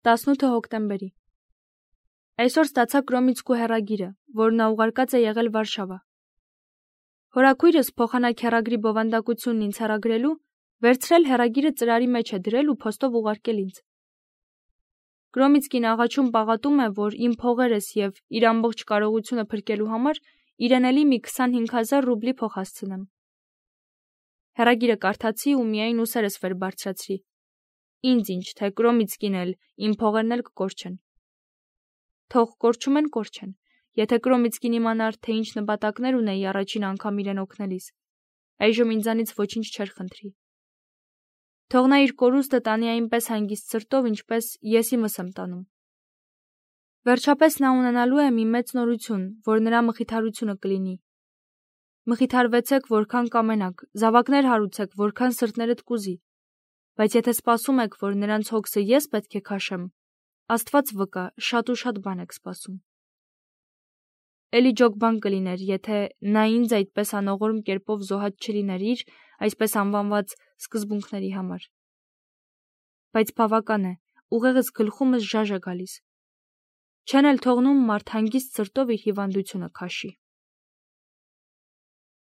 18 հոկտեմբերի։ Այսօր ստացա Կրոմիցկու հեռագիրը, որ նա ուղարկած է եղել Վարշավա։ Հորաքույրս փոխանակ հեռագրի բովանդակությունն ինձ հեռագրելու, վերցրել հեռագիրը ծրարի մեջ է դրել ու փոստով ուղարկել ինձ։ Կրոմիցկին աղաչում պաղատում է, որ իմ փողերս եւ իր ամբողջ կարողությունը փրկելու համար իրեն էլի մի 25,000 ռուբլի փող հասցնեմ։ Հեռագիրը կարդացի ու միայն ուսերս վեր բարձրացրի։ Ինձ ինչ, թե Կրոմիցկին էլ, իմ փողերն էլ կկորչեն։ Թող կորչում են, կորչեն։ Եթե Կրոմիցկին իմանար, թե ինչ նպատակներ ունեի առաջին անգամ իրեն օգնելիս, այժմ ինձանից ոչինչ չէր խնդրի։ Թող նա իր կորուստը տանի այնպես հանգիստ սրտով, ինչպես ես իմս եմ տանում։ Վերջապես նա ունենալու է մի մեծ նորություն, որ նրա մխիթարությունը կլինի։ Մխիթարվեցեք, որքան կամենաք, զավակներ հարուցեք, որքան սրտներդ կուզի, բայց եթե սպասում եք, որ նրանց հոգսը ես պետք է քաշեմ, Աստված վկա, շատ ու շատ բան եք սպասում։ Էլի ջոկ բան կլիներ, եթե նա ինձ այդպես անողորմ կերպով զոհած չլիներ իր, այսպես անվանված սկզբունքների համար։ Բայց բավական է, ուղեղս գլխումս ժաժ է գալիս։ Չեն էլ թողնում մարդ հանգիստ սրտով իր հիվանդությունը քաշի։